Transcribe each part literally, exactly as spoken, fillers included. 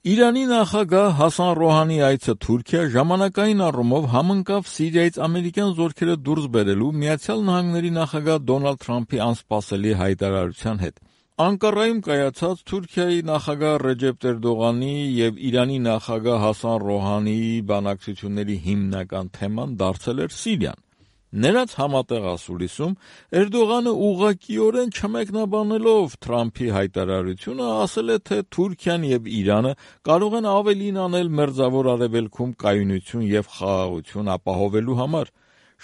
Իրանի նախագահ Հասան Ռոհանի այցը Թուրքիա ժամանակային առումով համընկավ Սիրիայից ամերիկյան զորքերը դուրս բերելու Միացյալ Նահանգների նախագահ Դոնալդ Թրամփի անսպասելի հայտարարության հետ։ Անկարայում կայացած Թուրքիայի նախագահ Ռեջեփ Էրդողանի և Իրանի նախագահ Հասան Ռոհանիի բանակցությունների հիմնական թեման դարձել էր Սիրիան։ Նրանց համատեղ ասուլիսում Էրդողանը ուղղակիորեն չմեկնաբանելով Թրամփի հայտարարությունը ասել է, թե Թուրքիան և Իրանը կարող են ավելին անել Մերձավոր Արևելքում կայունություն և խաղաղություն ապահովելու համար։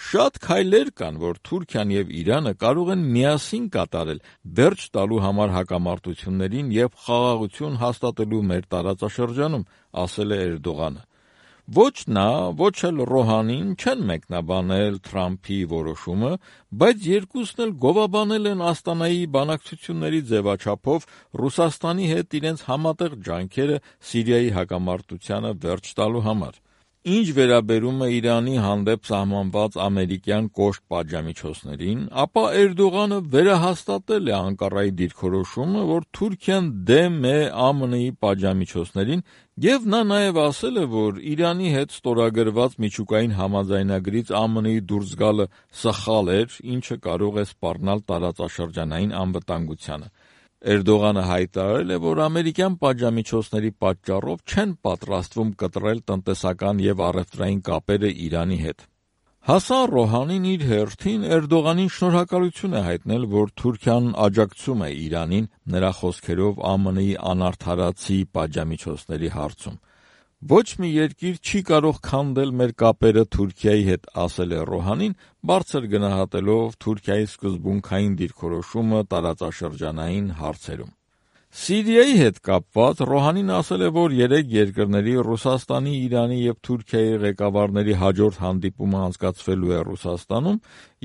Շատ քայլեր կան, որ Թուրքիան և Իրանը կարող են միասին կատարել վերջ տալու համար հակամարտություններին և խաղաղություն հաստատելու մեր տարածաշրջանում, ասել է Էրդողանը։ Ոչ նա, ոչ էլ Ռոհանին չեն մեկնաբանել Թրամփի որոշումը, բայց երկուսն էլ գովաբանել են Աստանայի բանակցությունների ձևաչափով Ռուսաստանի հետ իրենց համատեղ ջանքերը Սիրիայի հակամարտությանը վերջ տալու համար։ Ինչ վերաբերում է Իրանի հանդեպ սահմանված ամերիկյան կոշտ պատժամիջոցներին, ապա Էրդողանը վերահաստատել է Անկարայի դիրքորոշումը, որ Թուրքիան դեմ է ԱՄՆ-ի պատժամիջոցներին, և նա նաև ասել է, որ Իրանի հետ ստորագրված միջուկային համաձայնագրից ԱՄՆ-ի դուրս գալը սխալ էր, ինչը կարող է սպառնալ տարածաշրջանային անվտանգությանը։ Էրդողանը հայտարարել է, որ ամերիկյան պատժամիջոցների պատճառով չեն պատրաստվում կտրել տնտեսական և առևտրային կապերը Իրանի հետ։ Հասան Ռոհանին իր հերթին Էրդողանին շնորհակալություն է հայտնել, որ Թուրքիան աջակցում է Իրանին նրա խոսքերով ԱՄՆ-ի անարդարացի պատժամիջոցների հարցում։ Ոչ մի երկիր չի կարող քանդել մեր կապերը Թուրքիայի հետ, ասել է Ռոհանին, բարձր գնահատելով Թուրքիայի սկզբունքային դիրքորոշումը տարածաշրջանային հարցերում։ Սիրիայի հետ կապված Ռոհանին ասել է, որ երեք երկրների՝ Ռուսաստանի, Իրանի և Թուրքիայի ղեկավարների հաջորդ հանդիպումը անցկացվելու է Ռուսաստանում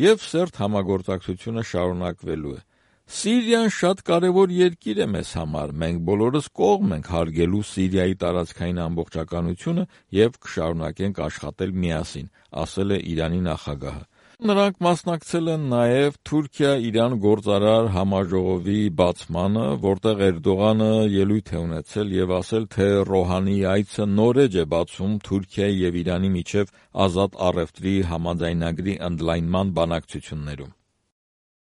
և սերտ համագործակցությունը շարունակվելու է։ Սիրիան շատ կարևոր երկիր է մեզ համար, մենք բոլորս կողմ ենք հարգելու Սիրիայի տարածքային ամբողջականությունը և կշարունակենք աշխատել միասին, ասել է Իրանի նախագահը։ Նրանք մասնակցել են նաև Թուրքիա-Իրան գործարար համաժողովի բացմանը, որտեղ Էրդողանը ելույթ է ունեցել և ասել, թե Ռոհանիի այցը նոր էջ է բացում Թուրքիայի և Իրանի միջև ազատ առևտրի համաձայնագրի ընդլայնման բանակցություններում։